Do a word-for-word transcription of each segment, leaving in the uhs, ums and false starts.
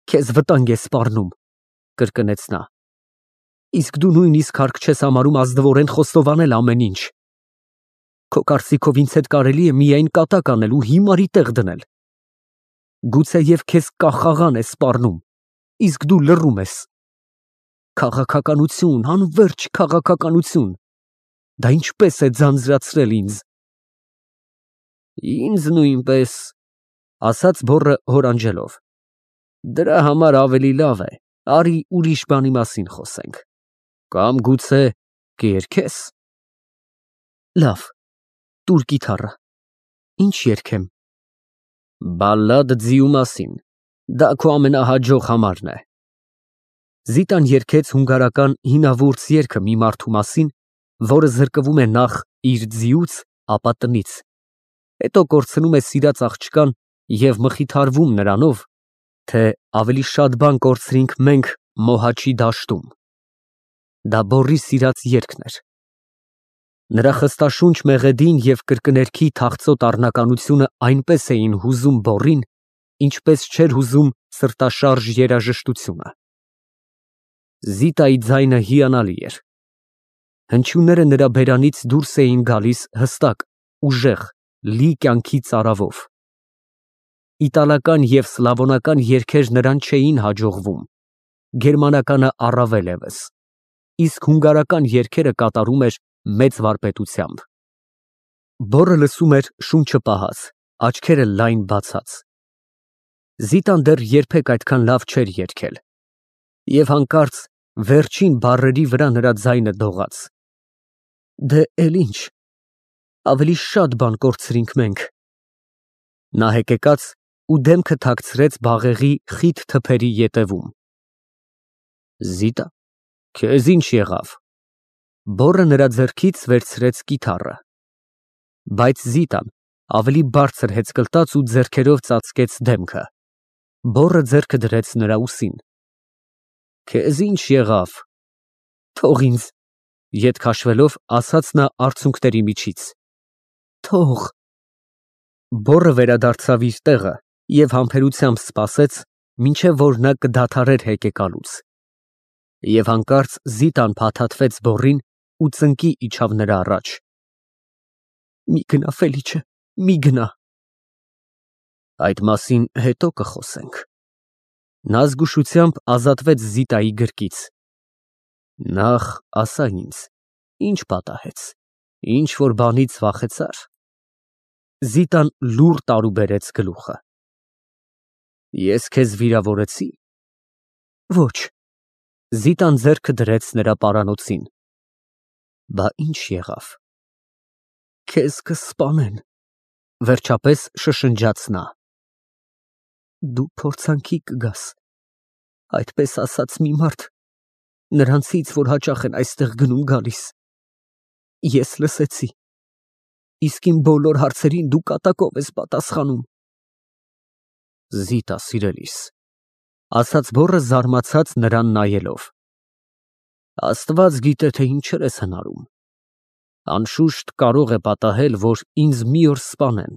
Քեզ վտանգ է սպառնում, կրկնեց նա։ Իսկ դու նույնիսկ հարկ չես համարում ազնվորեն խոստովանել ամեն ինչ։ Քո կարծիքով ինձ հետ կարելի է միայն կատակ անել ու հիմարի տեղ դնել։ Գուցեև քեզ կախաղան է սպառնում, իսկ դու լռում ես։ Քաղաքականություն, անվերջ քաղաքականություն։ Դա ինչպես է ձանձրացրել ինձ։ Ինձ նույնպես, ասաց բոռը հորանջելով։ Դրա համար ավելի լավ է, արի ուրիշ բանի մասին խոսենք։ Կամ գուցե կերքես։ Լավ, տուր կիթառը։ Ինչ երգեմ։ Բալլադ ձիու մասին, դա քո ամենահաջող համարն է։ Զիտան երգեց հունգարական հինավուրց երգը մի մարդու մասին, որը զրկվում է նախ իր ձիուց, ապա տնից, հետո կորցնում է սիրած աղջկան և մխիթարվում նրանով, թե ավելի շատ բան կորցրինք մենք Մոհաչի դաշտում։ Դա բոռի սիրած երգն էր։ Նրա խստաշունչ մեղեդին և կրկներքի թախծոտ առնականությունը այնպես էին հուզում բոռին, ինչպես չէր հուզում սրտաշարժ երաժշտությունը։ Զիտայի ձայնը հիանալի էր։ Հնչյունները նրա բերանից դուրս էին գալիս հստակ, ուժեղ, լի կյանքի ծարավով։ Իտալական և սլավոնական երգեր նրան չէին հաջողվում, գերմանականը առավել ևս, իսկ հունգարական երգերը կատարում էր մեծ վարպետությամբ։ Բոռը լսում էր շունչը պահած, աչքերը լայն բացած։ Զիտան դեռ երբեք այդքան լավ չէր երգել։ Եվ հանկարծ վերջին բառերի վրա նրա ձայնը դողաց։ Դե էլ ինչ, ավելի շատ բան կորցրինք մենք։ Նա հեկեկաց ու դեմքը թաքցրեց բաղեղի խիտ թփերի ետևում։ Զիտա, քեզ ինչ եղավ։ Բոռը նրա ձեռքից վերցրեց կիթառը։ Բայց Զիտան ավելի բարձր հեծկլտաց ու ձեռքերով ծածկեց դեմքը։ Բոռը ձեռքը դրեց նրա ուսին։ Քեզ ինչ եղավ։ Թող ինձ, ետ քաշվելով, ասաց նա արցունքների միջից։ Թող։ Բոռը վերադարձավ իր տեղը և համբերությամբ սպասեց, մինչև որ նա կդադարեր հեկեկալուց։ Եվ հանկարծ Զիտան փաթաթվեց բոռին ու ծնկի իջավ նրա առաջ։ Մի գնա, Ֆելիչե, մի գնա։ Այդ մասին հետո կխոսենք։ Նա զգուշությամբ ազատվեց Զիտայի գրկից։ Նախ ասա ինձ, ինչ պատահեց, ինչ-որ բանից վախեցա՞ր։ Զիտան լուռ տարուբերեց գլուխը։ Ես քեզ վիրավորեցի։ Ոչ։ Զիտան ձեռքը դրեց նրա պարանոցին։ Բա ինչ եղավ։ Քեզ կսպանեն, վերջապես շշնջաց նա։ Դու փորձանքի կգաս, այդպես ասաց մի մարդ, նրանցից, որ հաճախ են այստեղ գնում գալիս։ Ես լսեցի։ Իսկ իմ բոլոր հարցերին դու կատակով ես պատասխանում։ Զիտա սիրելիս, ասաց բոռը զարմացած նրան նայելով։ Աստված գիտե, թե ինչեր ես հնարում։ Անշուշտ կարող է պատահել, որ ինձ մի օր սպանեն։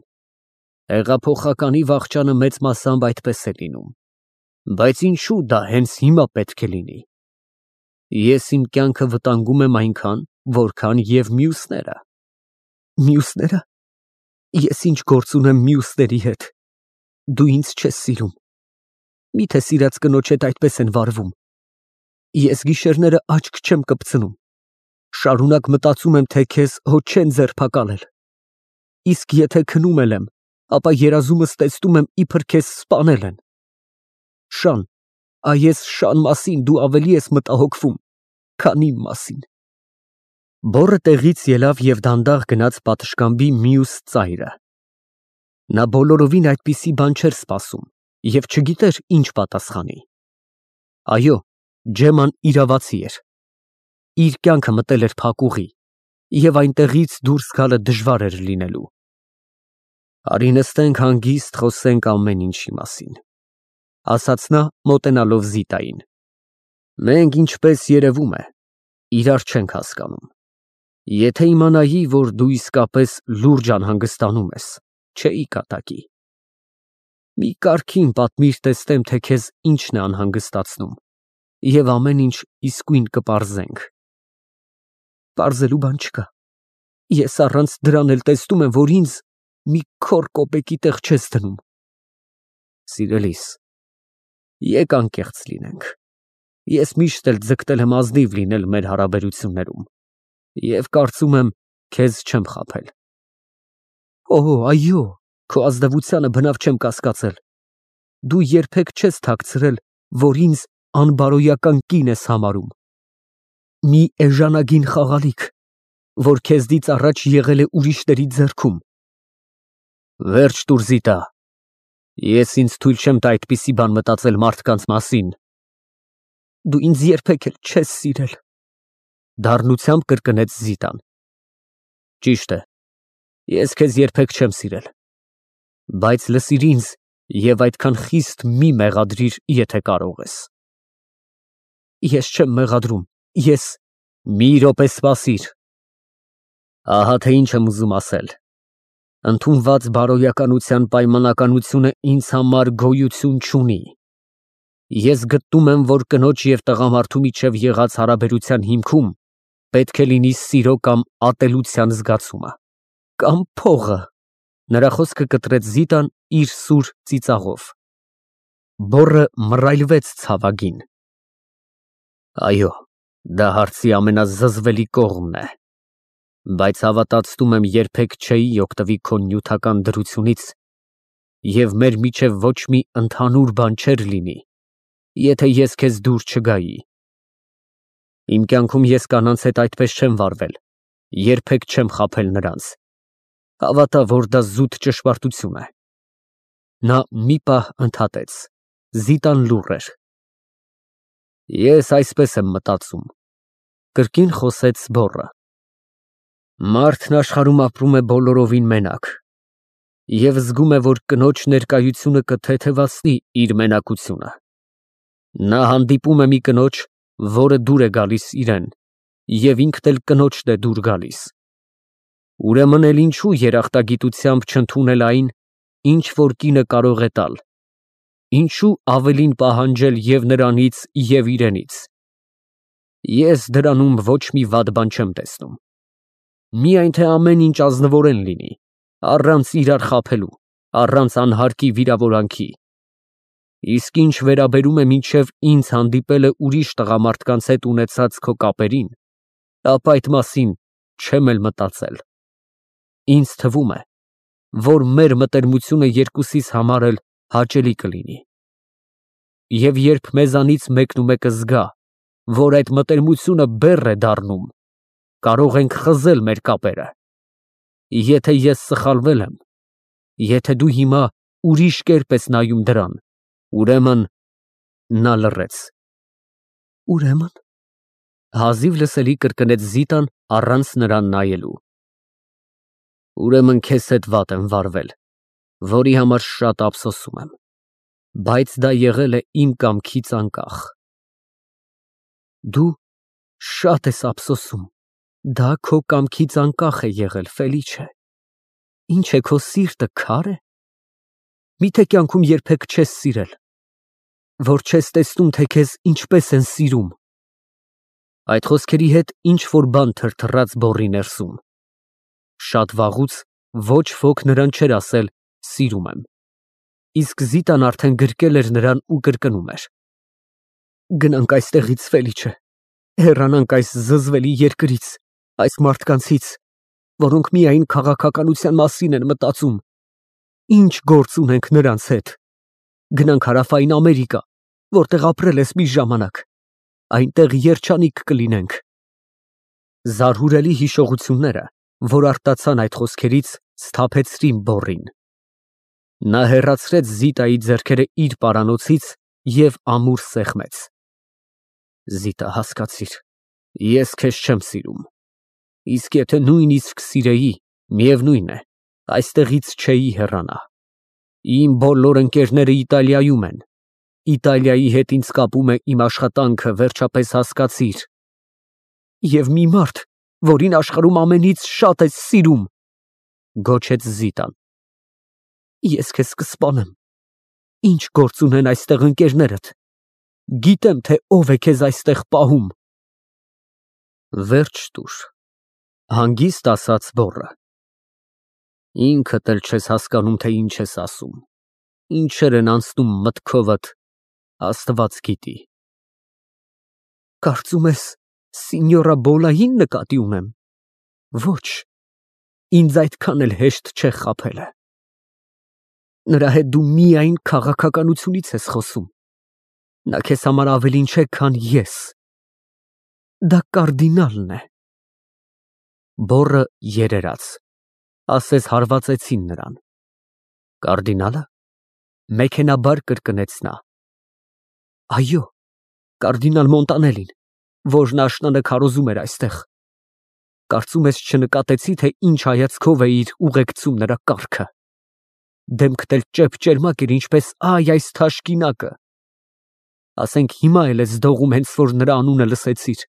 Հեղափոխականի վախճանը մեծ մասամբ այդպես է լինում։ Բայց ինչու դա հենց հիմա պետք է լինի։ Ես իմ կյանքը վտանգում եմ այնքան, որքան և մյուսները։ Մյուսնե՞րը։ Ես ինչ գործ ունեմ մյուսների հետ։ Դու ինձ չես սիրում։ Միթե սիրած կնոջ հետ այդպես են վարվում։ Ես գիշերները աչք չեմ կպցնում։ Շարունակ մտածում եմ, թե քեզ հո չեն ձերբակալել։ Իսկ եթե քնում էլ եմ, ապա երազումս տեսնում եմ, իբր քեզ սպանել են։ Շան, այս Շան մասին դու ավելի ես մտահոգվում, քան իմ մասին։ Բոռը տեղից ելավ և դանդաղ գնաց պատշգամբի մյուս ծայրը։ Նա բոլորովին այդպիսի բան չէր սպասում և չգիտեր ինչ պատասխանի։ Այո, Ջեման իրավացի էր։ Իր կյանքը մտել էր փակուղի, և այնտեղից դուրս գալը դժվար էր լինելու։ Արի նստենք հանգիստ խոսենք ամեն ինչի մասին, ասաց նա մոտենալով Զիտային։ Մենք, ինչպես երևում է, իրար չենք հասկանում։ Եթե իմանայի, որ դու իսկապես լուրջ անհանգստանում ես, չէի կատակի։ Մի կարգին պատմիր, տեսնեմ, թե քեզ ինչն է անհանգստացնում, և ամեն ինչ իսկույն կպարզենք։ Պարզելու բան չկա։ Ես առանց դրան էլ տեսնում եմ, որ ինձ մի քոր կոպեկի տեղ չես դնում։ Սիրելիս, եկ անկեղծ լինենք։ Ես միշտ էլ ձգտել եմ ազնիվ լինել մեր հարաբերություններում և կարծում եմ, քեզ չեմ խաբել։ Օ, այո, քո ազնվությանը բնավ չեմ կասկածել։ Դու երբեք չես թաքցրել, որ ինձ անբարոյական կին ես համարում։ Մի էժանագին խաղալիք, որ քեզնից առաջ եղել է ուրիշների ձեռքում։ Վերջ տուր, Զիտա, ես ինձ թույլ չեմ տա այդպիսի բան մտածել մարդկանց մասին։ Դու ինձ երբեք էլ չես սիրել, դառնությամբ կրկնեց Զիտան։ Ճիշտ է, ես քեզ երբեք չեմ սիրել, բայց լսիր ինձ և այդքան խիստ մի մեղադրիր, եթե կարող ես։ Ես չեմ մեղադրում, ես… Մի րոպե սպասիր։ Ահա թե ինչ եմ ուզում ասել։ Ընդունված բարոյականության պայմանականությունը ինձ համար գոյություն չունի։ Ես գտնում եմ, որ կնոջ և տղամարդու միջև եղած հարաբերության հիմքում պետք է լինի սիրո կամ ատելության զգացումը, կամ փողը։ Նրա խոսքը կտրեց Զիտան իր սուր ծիծաղով։ Բոռը մռայլվեց ցավագին։ Այո, դա հարցի ամենազզվելի կողմն է, բայց հավատացնում եմ, երբեք չէի օգտվի քո նյութական դրությունից, և մեր միջև ոչ մի ընդհանուր բան չէր լինի, եթե ես քեզ դուր չգայի։ Իմ կյանքում ես կանանց հետ այդպես չեմ վարվել, երբեք չեմ խաբել նրանց։ Հավատա, որ դա զուտ ճշմարտություն է։ Նա մի պահ ընդհատեց։ Զիտան լուռ էր։ Ես այսպես եմ մտածում, կրկին խոսեց բոռը։ Մարդն աշխարհում ապրում է բոլորովին մենակ և զգում է, որ կնոջ ներկայությունը կթեթևացնի իր մենակությունը։ Նա հանդիպում է մի կնոջ, որը դուր է գալիս իրան, և ինքն էլ կնոջն է դուր գալիս։ Ուրեմն էլ ինչու երախտագիտությամբ չընդունել այն, ինչ որ կինը կարող է տալ, ինչու ավելին պահանջել և նրանից, և իրենից։ Ես դրանում ոչ մի վատ բան չեմ տեսնում։ Միայն թե ամեն ինչ ազնվորեն լինի, առանց իրար խաբելու, առանց անհարկի վիրավորանքի։ Իսկ ինչ վերաբերում է մինչև ինձ հանդիպելը ուրիշ տղամարդկանց հետ ունեցած քո կապերին, ապա այդ մասին չեմ էլ մտածել։ Ինձ թվում է, որ մեր մտերմությունը երկուսիս համար էլ հաճելի կլինի։ Եվ երբ մեզանից մեկն ու մեկը զգա, որ այդ մտերմությունը բեռ է դառնում, կարող ենք խզել մեր կապերը։ Եթե ես սխալվել եմ, եթե դու հիմա ուրիշ կերպ ես նայում դրան, ուրեմն… Նա լռեց։ Ուրեմն… Հազիվ լսելի կրկնեց Զիտան առանց նրան նայելու։ Ուրեմն քեզ հետ վատ եմ վարվել, որի համար շատ ափսոսում եմ, բայց դա եղել է իմ կամքից անկախ։ Դու շատ ես ափսոսում, դա քո կամքից անկախ է եղել, Ֆելիչե։ Ինչ է, քո սիրտը քա՞ր է։ Միթե կյանքում երբեք չես սիրել, որ չես տեսնում, թե քեզ ինչպես են սիրում։ Այդ խոսքերի հետ ինչ֊որ բան թրթռաց բոռի ներսում։ Շատ վաղուց ոչ ոք նրան չէր ասել սիրում եմ, իսկ Զիտան արդեն գրկել էր նրան ու կրկնում էր. Գնանք այստեղից, Ֆելիչե, հեռանանք այս զզվելի երկրից, այս մարդկանցից, որոնք միայն քաղաքականության մասին են մտածում։ Ինչ գործ ունենք նրանց հետ։ Գնանք Հարավային Ամերիկա, որտեղ ապրել ես մի ժամանակ, այնտեղ երջանիկ կլինենք։ Զարհուրելի հիշողությունները, որ արտացան այդ խոսքերից, սթափեցրին բոռին։ Նա հեռացրեց Զիտայի ձեռքերը իր պարանոցից և ամուր սեղմեց։ Զիտա, հասկացիր, ես քեզ չեմ սիրում, իսկ եթե նույնիսկ սիրեի, միևնույն է, այստեղից չէի հեռանա։ Իմ բոլոր ընկերները Իտալիայում են, Իտալիայի հետ ինձ կապում է իմ աշխատանքը, վերջապես հասկացիր։ Եվ մի մարդ, որին աշխարհում ամենից շատ ես սիրում, գոչեց Զիտան։ Ես քեզ կսպանեմ, Ինչ գործ ունեն այստեղ ընկերներդ։ Գիտեմ, թե ով է քեզ այստեղ պահում։ Վերջ տուր, հանգիստ ասաց բոռը։ Ինքդ էլ չես հասկանում, թե ինչ ես ասում, ինչեր են անցնում մտքովդ, Աստված գիտի։ Կարծում ես սինյորա Բոլային նկատի ունեմ։ Ոչ, ինձ այդքան էլ հեշտ չէ խաբելը։ Նրա հետ դու միայն քաղաքականությունից ես խոսում։ Նա քեզ համար ավելին չէ, քան ես։ Դա կարդինալն է։ Բոռը երերաց, ասես հարվածեցին նրան։ Կարդինալը։ Մեքենաբար կրկնեց նա։ Այո, կարդինալ Մոնտանելին, որն աշնանը քարոզում էր այստեղ։ Կարծում ես չնկատեցի, թե ինչ հայացքով էիր ուղեկցում նրա կառքը։ Դեմքդ էլ ճեպճերմակ էր, ինչպես այ այս թաշկինակը։ Ասենք հիմա էլ ես դողում, հենց որ նրա անունը լսեցիր։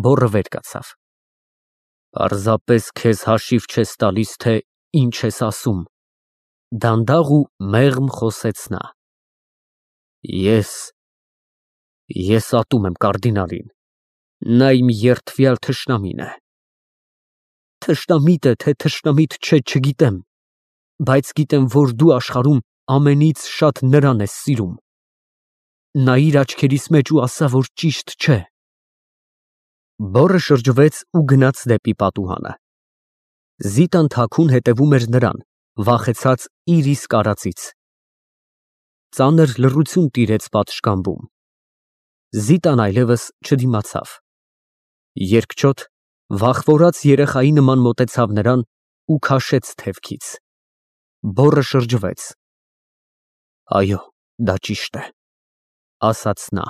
Բոռը վեր կացավ։ Պարզապես քեզ հաշիվ չես տալիս, թե ինչ ես ասում։ Դանդաղ ու մեղմ խոսեց նա։ Ես, ես ատում եմ կարդինալին, նա իմ երդվյալ թշնամին է։ Թշնամիտ է, թե թշնամիտ չէ, չգիտեմ, բայց գիտեմ, որ դու աշխարհում ամենից շատ նրան ես սիրում։ Նայիր աչքերիս մեջ ու ասա, որ ճիշտ չէ։ Բոռը շրջվեց ու գնաց դեպի պատուհանը։ Զիտան թաքուն հետևում էր նրան, վախեցած իր իսկ արածից։ Ծանր լռություն տիրեց պատշգամբում։ Զիտան այլևս չդիմացավ։ Երկչոտ, վախվորած երեխայի նման մոտեցավ նրան ու քաշեց թևքից։ Բոռը շրջվեց։ Այո, դա ճիշտ է, ասաց նա։